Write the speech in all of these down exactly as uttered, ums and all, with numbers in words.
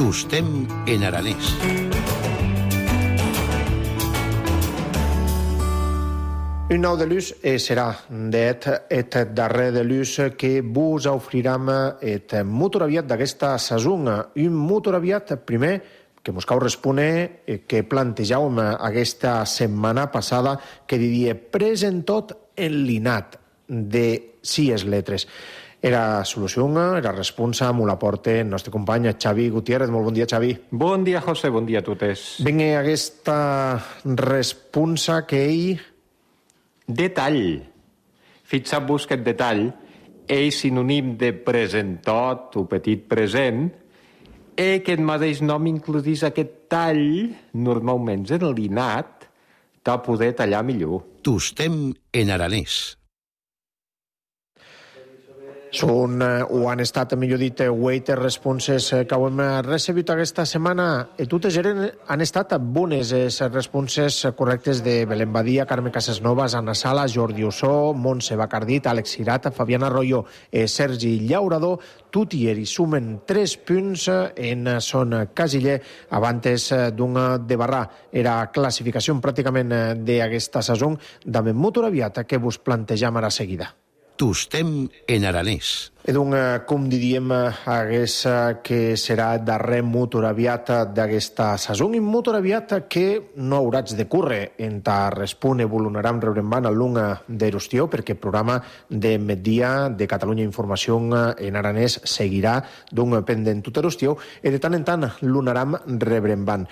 Tostem en aranès. Un nou de luz serà d'et et darrer de luz que vos ofriram et motoraviat d'aquesta sason. Un motoraviat primer que mos cau respondre que plantejàvem aquesta setmana passada que diria presentot en l'inat de sis letres. Era solució, era responsa, m'ho l'aporta el nostre company Xavi Gutiérrez. Molt bon dia, Xavi. Bon dia, José, bon dia a totes. Vinga, aquesta responsa que ell... Detall. Fixeu-vos que el detall és sinònim de presentot o petit present i que el mateix nom includís aquest tall, normalment en l'inat, de poder tallar millor. Tostem en aranès. Són, o han estat, millor dit, waiter responses que hem recebut aquesta setmana. I totes eren, han estat bones les responses correctes de Belén Badia, Carme Casasnovas, Anna Sala, Jordi Ossó, Montse Bacardit, Àlex Cirat, Fabiana Arroyo, eh, Sergi Llaurador. Tot i hi sumen tres punts en son casiller abans d'un de barrar. Era classificació pràcticament d'aquesta sason de motoraviat que vos plantejam ara seguida. Tostem en aranès. I doncs, com diríem, hagués que serà darrer motoraviat d'aquesta sason, un motoraviat que no hauràs de córrer en ta respon evolucionaram rebrembant al lung d'Erostió, perquè el programa de migdia de Catalunya Informació en aranès seguirà d'un pendent tot Erostió, i de tant en tant l'unaram rebrembant.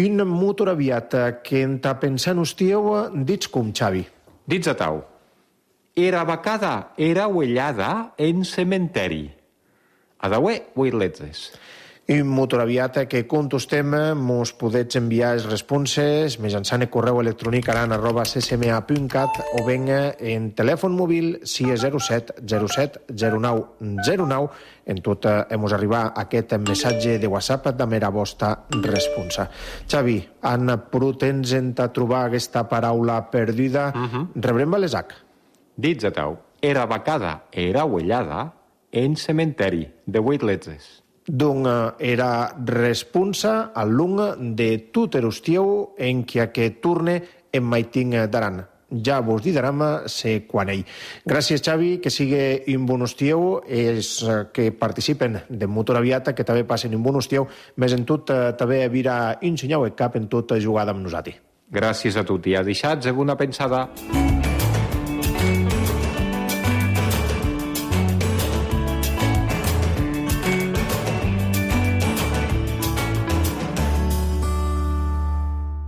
Un motoraviat que en ta pensant hostió, dits com, Xavi? Dits a tau. Era vacada, era uellada en cementeri. Adaué, vuit letres. Un motoraviat que contestem, mos podets enviar les responses mitjançant el correu electrònic aran arroba c c m a punt cat o ben en telèfon mòbil sis zero set zero set zero nou zero nou. En tot hem arribat a aquest missatge de WhatsApp de mera vostra responsa. Xavi, han pogut ens a trobar aquesta paraula perduda. Uh-huh. Rebrem les H. Dits a tau. Era vacada, era uellada en cementeri, de vuit letres. Donc era responsa al lung de tot Erostieu en qui aquest turne en maiting d'aran. Ja vos didaram se quan ell. Gràcies, Xavi, que sigui un bon hostieu, els que participen de motoraviat, que també passen un bon hostieu, més en tot també vira ensenyau el cap en tot jugada amb nosaltres. Gràcies a tutti. A deixats una pensada.